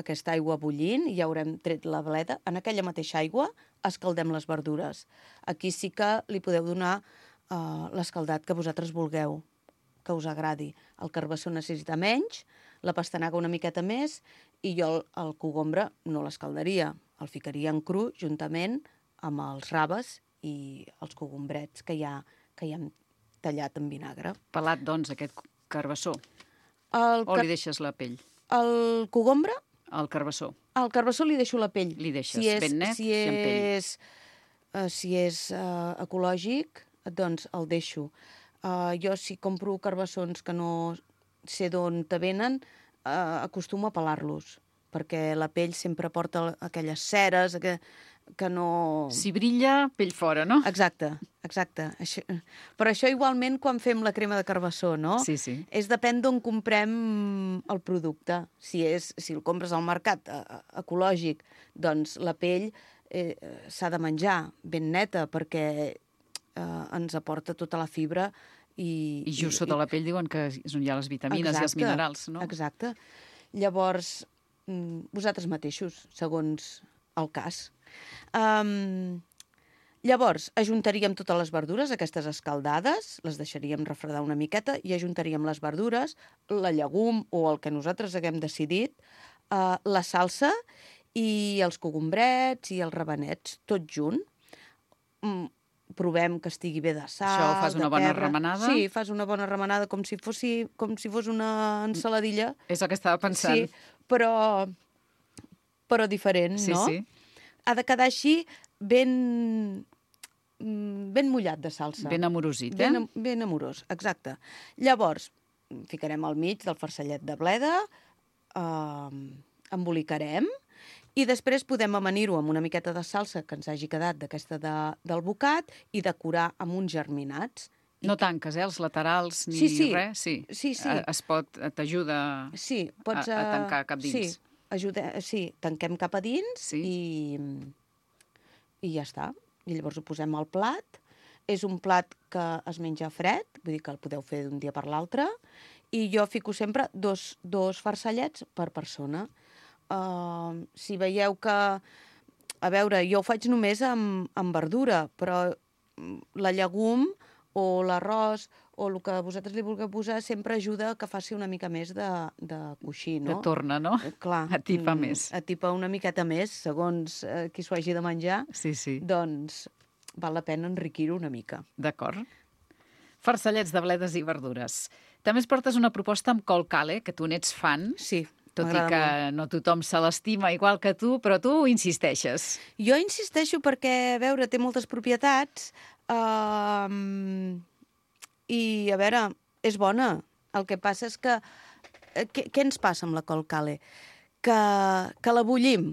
aquesta aigua bullint i ja haurem tret la bleda, en aquella mateixa aigua escaldem les verdures. Aquí sí que li podeu donar uh, l'escaldat que vosaltres vulgueu, que us agradi. El carbassó necessita menys, la pastanaga una miqueta més, i jo el, el cogombre no l'escaldaria. El ficaria en cru juntament amb els raves i els cogombrets que ja, que ja hem tallat en vinagre. Pelat, doncs, aquest carbassó. El o li deixes la pell? El cogombre? El carbassó. Al carbassó li deixo la pell. Li deixes si és, ben net si i amb pell. És, uh, si és uh, ecològic, doncs el deixo. Uh, jo, si compro carbassons que no sé d'on te venen, uh, acostumo a pelar-los, perquè la pell sempre porta aquelles ceres que, que no... Si brilla, pell fora, no? Exacte, exacte. Això... Però això igualment quan fem la crema de carbassó, no? Sí, sí. És depèn d'on comprem el producte. Si, és, si el compres al mercat eh, ecològic, doncs la pell eh, s'ha de menjar ben neta perquè eh, ens aporta tota la fibra i... I just i, sota i... la pell diuen que és on hi ha les vitamines exacte, i els minerals, no? Exacte. Llavors, vosaltres mateixos, segons el cas. Um, llavors, ajuntaríem totes les verdures, aquestes escaldades, les deixaríem refredar una miqueta i ajuntaríem les verdures, la llegum o el que nosaltres haguem decidit, uh, la salsa i els cogombrets i els rabenets, tot junt. Mm, provem que estigui bé de sal, Això fas una de bona pebre. remenada? Sí, fas una bona remenada com si, fossi, com si fos una ensaladilla. És el que estava pensant. Sí, però, però diferent, Sí, no? sí. Ha de quedar així ben, ben mullat de salsa. Ben amorosit, eh? Ben, ben amorós, exacte. Llavors, ficarem al mig del farcellet de bleda, eh, embolicarem, i després podem amanir-ho amb una miqueta de salsa que ens hagi quedat d'aquesta de, del bocat i decorar amb uns germinats. No tanques, eh, els laterals ni Sí, sí. res? Sí, Sí, sí. Eh, Es pot, t'ajuda sí, pots, a, a eh, tancar cap dins. Sí, ajuda, sí, tanquem cap a dins Sí. i, i ja està. I llavors ho posem al plat. És un plat que es menja fred, vull dir que el podeu fer d'un dia per l'altre, i jo fico sempre dos, dos farcellets per persona. Uh, si veieu que... A veure, jo ho faig només amb, amb verdura, però la llegum o l'arròs o el que vosaltres li vulgueu posar sempre ajuda que faci una mica més de, de coixí, no? Que torna, no? Eh, Clar. Atipa mm, més. Atipa una miqueta més, segons eh, qui s'ho hagi de menjar. Sí, sí. Doncs val la pena enriquir-ho una mica. D'acord. Farcellets de bledes i verdures. També es portes una proposta amb col cale, que tu n'ets fan. Sí, tot i m'agrada que no tothom se l'estima igual que tu, però tu insisteixes. Jo insisteixo perquè, a veure, té moltes propietats uh, i, a veure, és bona. El que passa és que... eh, Què, què ens passa amb la col cale? Que, que la bullim.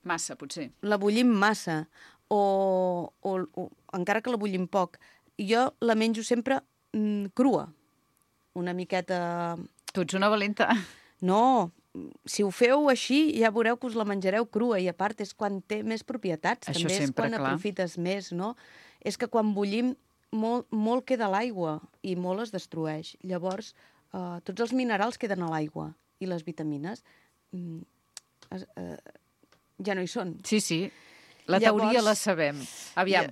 Massa, potser. La bullim massa. O, o, o encara que la bullim poc. I jo la menjo sempre mm, crua. Una miqueta... Tu ets una valenta. No, si ho feu així, ja veureu que us la menjareu crua, i a part és quan té més propietats. Això També és sempre, quan clar. aprofites més, no? És que quan bullim molt, molt queda l'aigua i molt es destrueix. Llavors, eh, tots els minerals queden a l'aigua i les vitamines mm, es, eh, ja no hi són. Sí, sí. La Llavors- teoria la sabem. Aviam,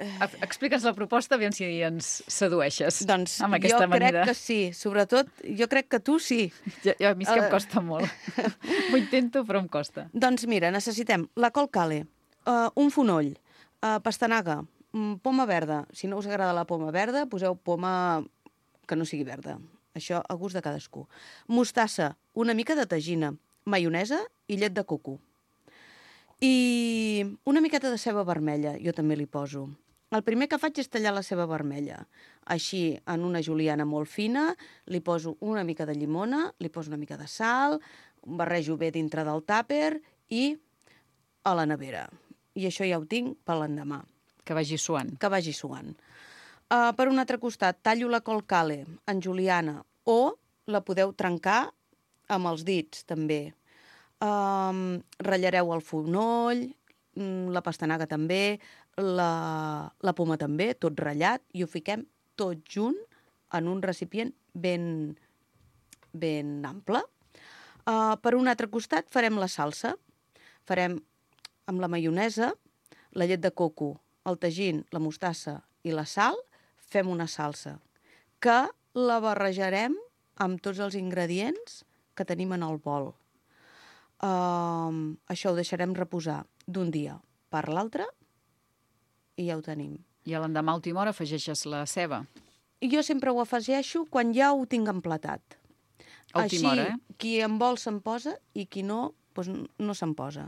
explica'ns la proposta, aviam si ens sedueixes Doncs amb jo aquesta crec amanida. que sí. Sobretot, jo crec que tu sí. Ja, ja, a mi és que em Eh, costa molt. Ho intento, però em costa. Doncs mira, necessitem la col cale, uh, un fonoll, uh, pastanaga, um, poma verda. Si no us agrada la poma verda, poseu poma que no sigui verda. Això a gust de cadascú. Mostassa, una mica de tagina, maionesa i llet de coco. I una miqueta de ceba vermella, jo també li poso. El primer que faig és tallar la ceba vermella. Així, en una juliana molt fina, li poso una mica de llimona, li poso una mica de sal, barrejo bé dintre del tàper i a la nevera. I això ja ho tinc per l'endemà. Que vagi suant. Que vagi suant. Uh, per un altre costat, tallo la col cale en juliana o la podeu trencar amb els dits, també. Um, ratllareu el fonoll, mm, la pastanaga també, la, la poma també, tot ratllat, i ho fiquem tot junt en un recipient ben, ben ample. Uh, per un altre costat farem la salsa. Farem amb la maionesa, la llet de coco, el tagín, la mostassa i la sal, fem una salsa que la barrejarem amb tots els ingredients que tenim en el bol. Uh, això ho deixarem reposar d'un dia per l'altre i ja ho tenim. I a l'endemà a última hora afegeixes la ceba. I jo sempre ho afegeixo quan ja ho tinc emplatat. A última hora, eh? Així, qui en vol se'n posa i qui no, doncs no se'n posa.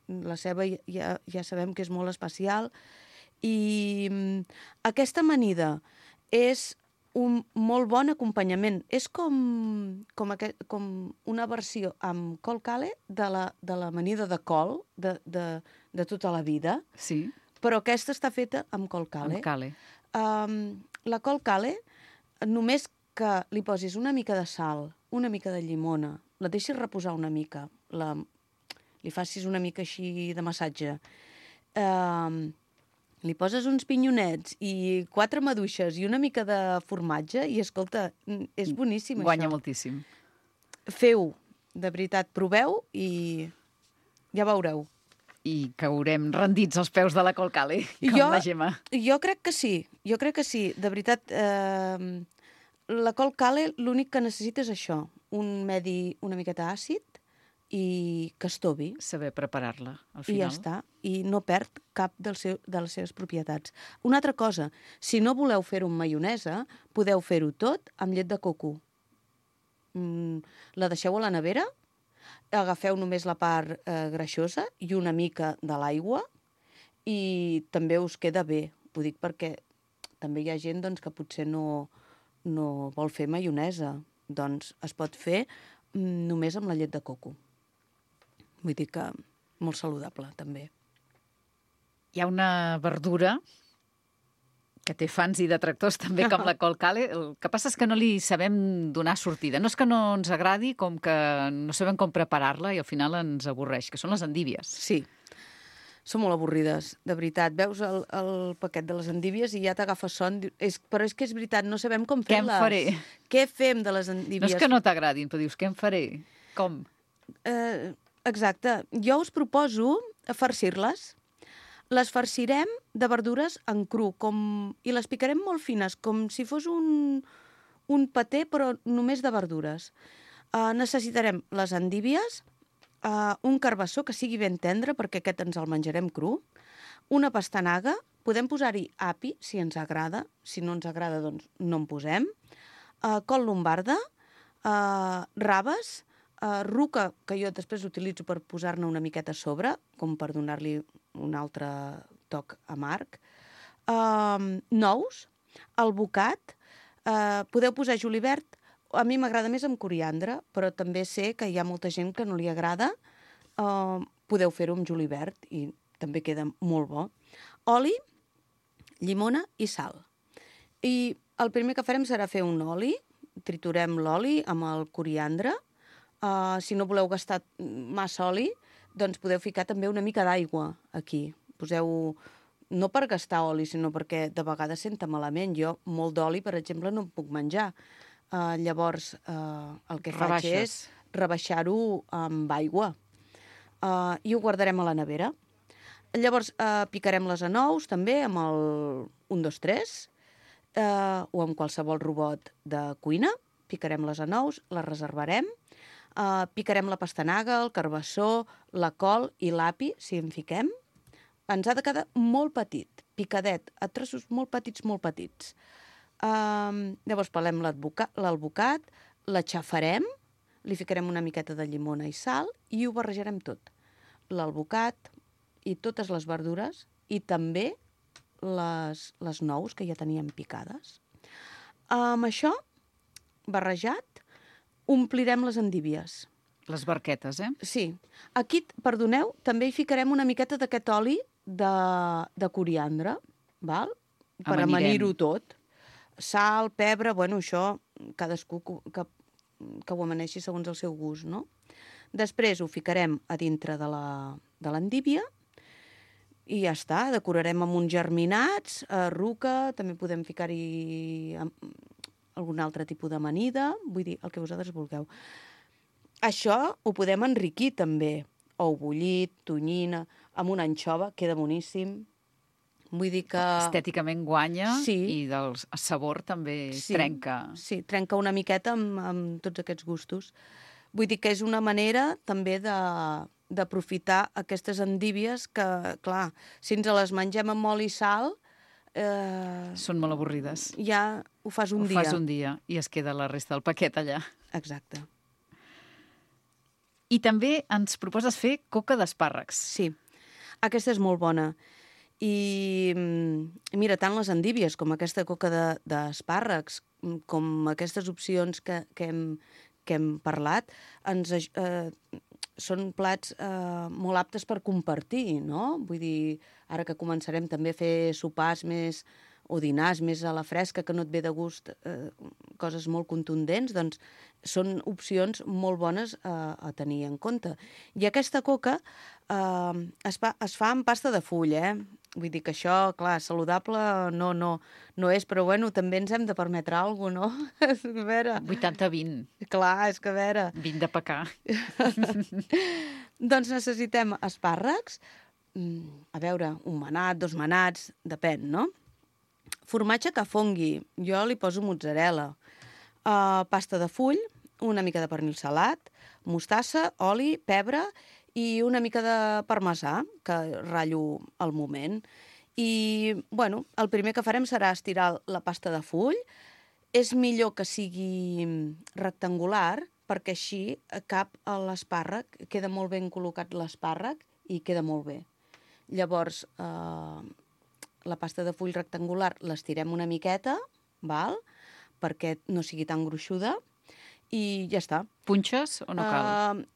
La ceba ja, ja sabem que és molt especial. I mm, aquesta amanida és un molt bon acompanyament. És com, com, aquest, com una versió amb col cale de la, de l'amanida de col de, de, de tota la vida. Sí. Però aquesta està feta amb col cale. Amb cale. Um, la col cale, només que li posis una mica de sal, una mica de llimona, la deixis reposar una mica, la, li facis una mica així de massatge, um, li poses uns pinyonets i quatre maduixes i una mica de formatge i, escolta, és boníssim, Guanya això. moltíssim. Feu, de veritat, proveu i ja veureu. I caurem rendits als peus de la Colcale, com jo, la Gemma. Jo crec que sí, jo crec que sí. De veritat, eh, la Colcale l'únic que necessita és això, un medi una miqueta àcid i que estovi. Saber preparar-la, al I final. ja està. I no perd cap del seu, de les seves propietats. Una altra cosa, si no voleu fer-ho amb maionesa, podeu fer-ho tot amb llet de coco. Mm, la deixeu a la nevera, agafeu només la part eh, greixosa i una mica de l'aigua i també us queda bé. Ho dic perquè també hi ha gent doncs, que potser no, no vol fer maionesa. Doncs es pot fer mm, només amb la llet de coco. Vull dir que molt saludable, també. Hi ha una verdura que té fans i detractors també, com la Colcale. El que passa és que no li sabem donar sortida. No és que no ens agradi, com que no sabem com preparar-la i al final ens avorreix, que són les endívies. Sí, són molt avorrides, de veritat. Veus el, el paquet de les endívies i ja t'agafes son. És, però és que és veritat, no sabem com fer-les. Què en faré? Què fem de les endívies? No és que no t'agradin, però dius, què en faré? Com? Eh, exacte. Jo us proposo farcir-les. Les farcirem de verdures en cru com... i les picarem molt fines, com si fos un, un paté, però només de verdures. Uh, necessitarem les endívies, uh, un carbassó que sigui ben tendre, perquè aquest ens el menjarem cru, una pastanaga, podem posar-hi api, si ens agrada, si no ens agrada, doncs no en posem, uh, col lombarda, uh, raves, uh, ruca, que jo després utilitzo per posar-ne una miqueta a sobre, com per donar-li un altre toc amarg, uh, nous, albocat, uh, podeu posar julivert, a mi m'agrada més amb coriandre, però també sé que hi ha molta gent que no li agrada, uh, podeu fer-ho amb julivert i també queda molt bo. Oli, llimona i sal. I el primer que farem serà fer un oli, triturem l'oli amb el coriandre, uh, si no voleu gastar massa oli, doncs podeu ficar també una mica d'aigua aquí. Poseu, no per gastar oli, sinó perquè de vegades senta malament. Jo molt d'oli, per exemple, no em puc menjar. Uh, llavors, uh, el que faig Rebaixes. és rebaixar-ho amb aigua. Uh, I ho guardarem a la nevera. Llavors, uh, picarem les anous també amb el un, dos, tres, uh, o amb qualsevol robot de cuina. Picarem les anous, les reservarem. Uh, picarem la pastanaga, el carbassó, la col i l'api, si en fiquem. Ens ha de quedar molt petit, picadet, a trossos molt petits, molt petits. Uh, llavors pelem l'albocat, l'aixafarem, li ficarem una miqueta de llimona i sal i ho barrejarem tot. L'albocat i totes les verdures i també les, les nous que ja teníem picades. Amb això, barrejat, omplirem les endívies. Les barquetes, eh? Sí. Aquí, perdoneu, també hi ficarem una miqueta d'aquest oli de, de coriandre, val? Per Amanirem. amanir-ho tot. Sal, pebre, bueno, això cadascú que, que, que ho amaneixi segons el seu gust, no? Després ho ficarem a dintre de la, de l'endívia i ja està, decorarem amb uns germinats, eh, ruca, també podem ficar-hi algun altre tipus d'amanida, vull dir, el que vosaltres vulgueu. Això ho podem enriquir també. Ou bullit, tonyina, amb una anxova, queda boníssim. Vull dir que... Estèticament guanya sí. I del sabor també sí. trenca. Sí, trenca una miqueta amb, amb tots aquests gustos. Vull dir que és una manera també de d'aprofitar aquestes endívies que, clar, si ens les mengem amb oli i sal... Eh, Són molt avorrides. Ja ho fas un ho dia. Ho fas un dia i es queda la resta del paquet allà. Exacte. I també ens proposes fer coca d'espàrrecs. Sí, aquesta és molt bona. I mira, tant les endívies com aquesta coca d'espàrrecs, de, com aquestes opcions que, que, hem, que hem parlat, ens, eh, són plats eh, molt aptes per compartir, no? Vull dir, ara que començarem també a fer sopars més o dinars més a la fresca, que no et ve de gust eh, coses molt contundents, doncs són opcions molt bones a, a tenir en compte. I aquesta coca eh, es, fa, es fa amb pasta de full, eh? Vull dir que això, clar, saludable no, no, no és, però bueno, també ens hem de permetre alguna cosa, no? A veure... vuitanta vint. Clar, és que a veure... vint de pecar. Doncs necessitem espàrrecs, a veure, un manat, dos manats, depèn, no? Formatge que fongui, jo li poso mozzarella, uh, pasta de full, una mica de pernil salat, mostassa, oli, pebre i una mica de parmesà, que ratllo al moment. I, bueno, el primer que farem serà estirar la pasta de full. És millor que sigui rectangular, perquè així cap a l'espàrrec, queda molt ben col·locat l'espàrrec i queda molt bé. Llavors, eh, la pasta de full rectangular l'estirem una miqueta, val? Perquè no sigui tan gruixuda, i ja està. Punxes o no cal? Uh,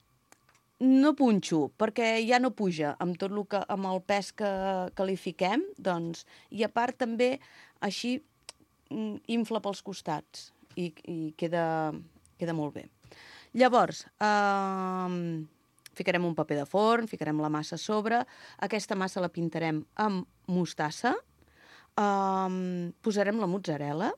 no punxo, perquè ja no puja amb tot el que, amb el pes que, que li fiquem, doncs, i a part també així infla pels costats i, i queda, queda molt bé. Llavors, uh, ficarem un paper de forn, ficarem la massa a sobre, aquesta massa la pintarem amb mostassa, uh, posarem la mozzarella,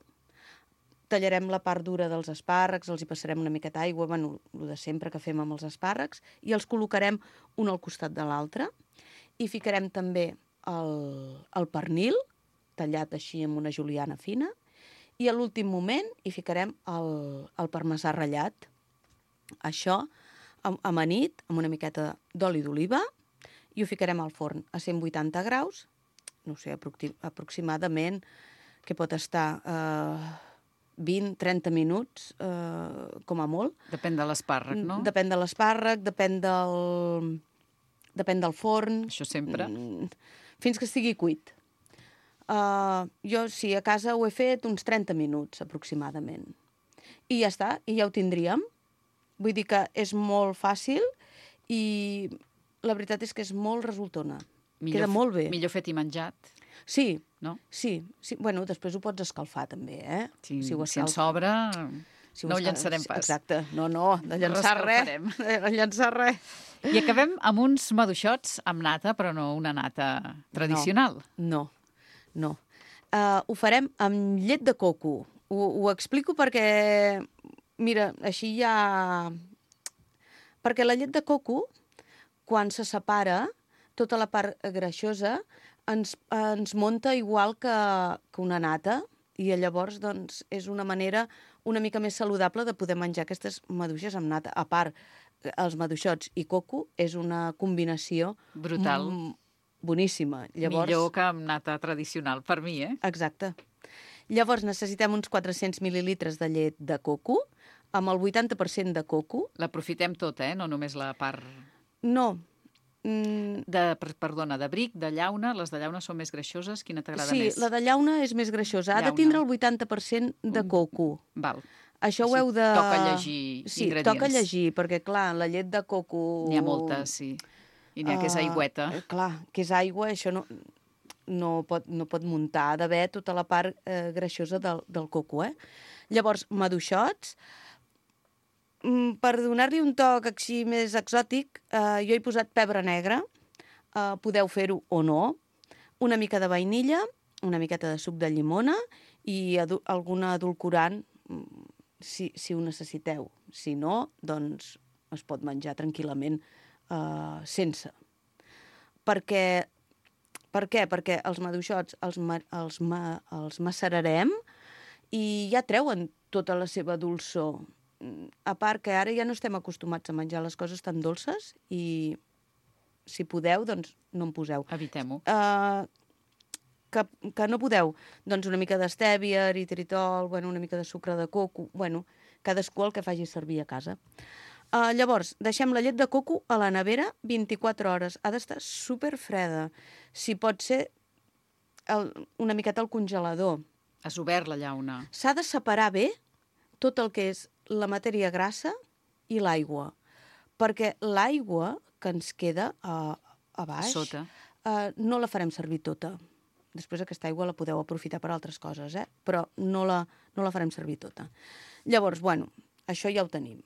tallarem la part dura dels espàrrecs, els hi passarem una miqueta d'aigua, bueno, el de sempre que fem amb els espàrrecs, i els col·locarem un al costat de l'altre. I ficarem també el, el pernil, tallat així amb una juliana fina, i a l'últim moment hi ficarem el, el parmesà ratllat. Això amanit, amb una miqueta d'oli d'oliva, i ho ficarem al forn a cent vuitanta graus, no sé, aproximadament, que pot estar... Eh, vint a trenta minuts, eh, com a molt. Depèn de l'espàrrec, no? Depèn de l'espàrrec, depèn del... depèn del forn. Això sempre. Fins que estigui cuit. Uh, jo, sí, a casa ho he fet uns trenta minuts, aproximadament. I ja està, i ja ho tindríem. Vull dir que és molt fàcil i la veritat és que és molt resultona. Millor, queda molt bé. Millor fet i menjat. Sí, no? Sí, sí. Bueno, després ho pots escalfar també, eh? Sí, si, ho si en sobra, si no ho llançarem pas. Exacte, no, no, de llançar res, de llançar res. I acabem amb uns maduixots amb nata, però no una nata tradicional. No, no. no. Uh, ho farem amb llet de coco. Ho, ho explico perquè, mira, així ja... Perquè la llet de coco, quan se separa, tota la part greixosa, ens, ens munta igual que, que una nata, i llavors doncs, és una manera una mica més saludable de poder menjar aquestes maduixes amb nata. A part, els maduixots i coco és una combinació... brutal. Boníssima. Llavors... Millor que amb nata tradicional, per mi, eh? Exacte. Llavors necessitem uns quatre-cents mil·lilitres de llet de coco, amb el vuitanta per cent de coco. L'aprofitem tota, eh? No només la part... No. Mm. De, perdona, de bric, de llauna, les de llauna són més greixoses, quina t'agrada sí, més? Sí, la de llauna és més greixosa, ha llauna. de tindre el vuitanta per cent de coco. Val. Això Així ho heu de... Toca llegir sí, ingredients. Toca llegir, perquè clar, la llet de coco... N'hi ha moltes, sí. I n'hi ha uh, que és aigüeta. Clar, que és aigua, això no, no, pot, no pot muntar, ha d'haver tota la part eh, greixosa del, del coco, eh? Llavors, maduixots... Per donar-li un toc així més exòtic, eh, jo he posat pebre negre, eh, podeu fer-ho o no, una mica de vainilla, una miqueta de suc de llimona i adu alguna edulcorant, si, si ho necessiteu. Si no, doncs es pot menjar tranquil·lament eh, sense. Perquè, per què? Perquè els maduixots els, ma els, ma els macerarem i ja treuen tota la seva dolçor. A part que ara ja no estem acostumats a menjar les coses tan dolces i si podeu, doncs no en poseu. Evitem-ho. Uh, que, que no podeu, doncs una mica d'estèvia, eritritol, bueno, una mica de sucre de coco, bueno, cadascú el que faci servir a casa. Uh, llavors, deixem la llet de coco a la nevera vint-i-quatre hores. Ha d'estar superfreda. Si pot ser el, una miqueta al congelador. Has obert la llauna. S'ha de separar bé tot el que és la matèria grassa i l'aigua, perquè l'aigua que ens queda a, a baix Sota. Uh, no la farem servir tota. Després aquesta aigua la podeu aprofitar per altres coses, eh? Però no la, no la farem servir tota. Llavors, bueno, això ja ho tenim.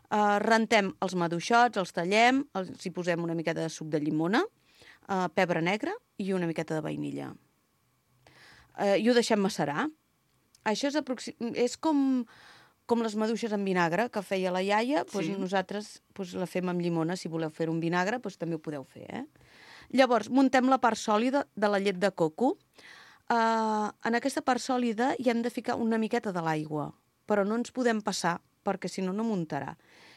Uh, rentem els maduixots, els tallem, els hi posem una miqueta de suc de llimona, uh, pebre negre i una miqueta de vainilla. Uh, I ho deixem macerar. Això és, aproxim... és com, com les maduixes en vinagre que feia la iaia, doncs Sí. nosaltres doncs, la fem amb llimona. Si voleu fer un vinagre, doncs també ho podeu fer, eh? Llavors, muntem la part sòlida de la llet de coco. Uh, en aquesta part sòlida hi hem de ficar una miqueta de l'aigua, però no ens podem passar, perquè si no, no muntarà.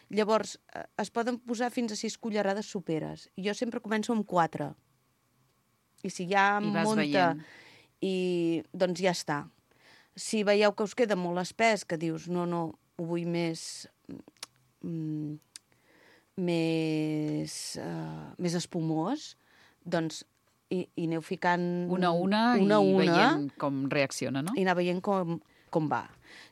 Llavors, uh, es poden posar fins a sis cullerades soperes. Jo sempre començo amb quatre. I si ja I vas munta, veient. i, doncs ja està. Si veieu que us queda molt espès, que dius, no, no, ho vull més... Mm, més, uh, més espumós, doncs i, i aneu ficant... Una a una, una, i una veient com reacciona, no? i anar veient com, com va.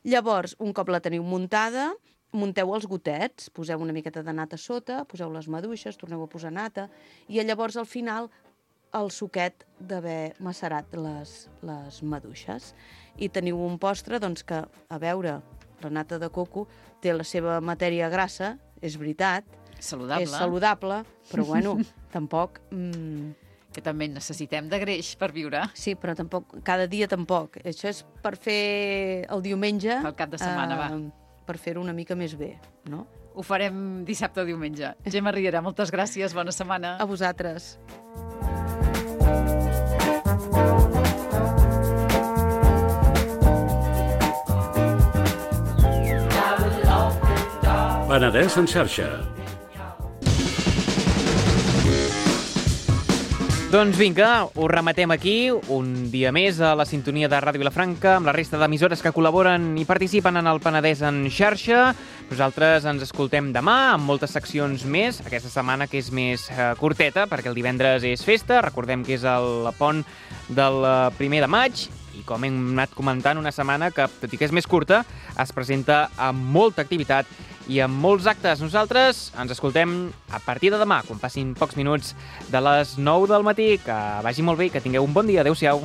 Llavors, un cop la teniu muntada, munteu els gotets, poseu una miqueta de nata a sota, poseu les maduixes, torneu a posar nata, i llavors al final el suquet d'haver macerat les, les maduixes. I teniu un postre doncs, que, a veure, la nata de coco té la seva matèria grassa, és veritat, Saludable. és saludable, però bueno, tampoc... Mm, que també necessitem de greix per viure. Sí, però tampoc, cada dia tampoc. Això és per fer el diumenge... Pel cap de setmana, va. Per fer-ho una mica més bé, no? Ho farem dissabte o diumenge. Gemma Riera, moltes gràcies, bona setmana. A vosaltres. Penedès en xarxa. Doncs vinga, ho rematem aquí, un dia més a la sintonia de Ràdio Vilafranca, amb la resta d'emissores que col·laboren i participen en el Penedès en xarxa. Nosaltres ens escoltem demà amb moltes seccions més, aquesta setmana que és més eh, curteta, perquè el divendres és festa, recordem que és el pont del primer de maig, i com hem anat comentant, una setmana que, tot i que és més curta, es presenta amb molta activitat i amb molts actes. Nosaltres ens escoltem a partir de demà, quan passin pocs minuts de les nou del matí. Que vagi molt bé i que tingueu un bon dia. Adéu-siau.